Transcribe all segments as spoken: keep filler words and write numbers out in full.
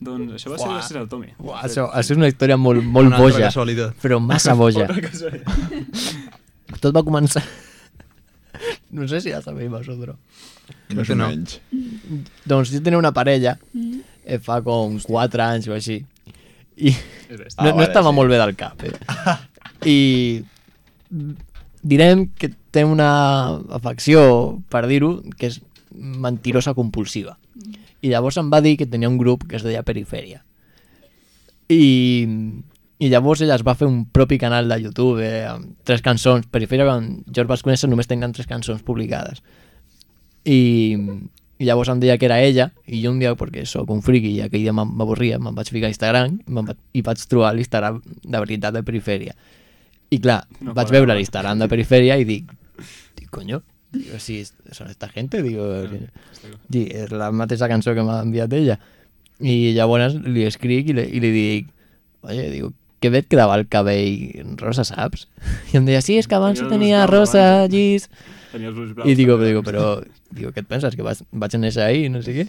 Doncs això va ser gràcies al Tomi. Uah, això, això és una història molt, molt boja, però massa boja. Tot va començar... No sé si ja sabeu vosotros. No sé, no. Doncs jo tenia una parella eh, fa com quatre anys o així i Ah, no, no vale, estava sí. molt bé del cap, eh? I direm que té una afecció, per dir-ho, que és mentirosa compulsiva. I llavors em va dir que tenia un grup que es deia Perifèria. I, i llavors ella es va fer un propi canal de YouTube eh, amb tres cançons. Perifèria, quan jo els vaig conèixer, només tenien tres cançons publicades. I, i llavors em deia que era ella, i jo un dia, perquè sóc un friqui i aquell dia m'avorria, me'n vaig ficar a Instagram va, i vaig trobar l'Instagram de veritat de Perifèria. I clar, no vaig veure l'Instagram de Perifèria i dic, dic, coño, digo, si son esta gente, digo, sí, és la mateixa cançó que m'ha enviat ella. I llavors li escric i li, i li dic, oye, digo, que bé et quedava el cabell rosa, saps? I em deia, sí, és que abans ho tenia rosa, llis... I digo, digo, però, digo, què et penses, que vaig, vaig néixer ahí, no sé què?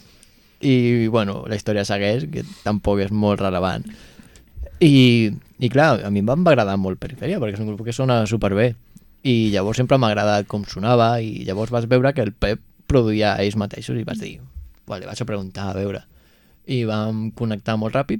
I, bueno, la història segueix, que tampoc és molt rellevant. I, i clar, a mi em va agradar molt Perifèria, perquè és un grup que sona superbé. I llavors sempre m'ha agradat com sonava, i llavors vas veure que el Pep produïa ells mateixos, i vaig dir, vale, vaig a preguntar, a veure. I vam connectar molt ràpid,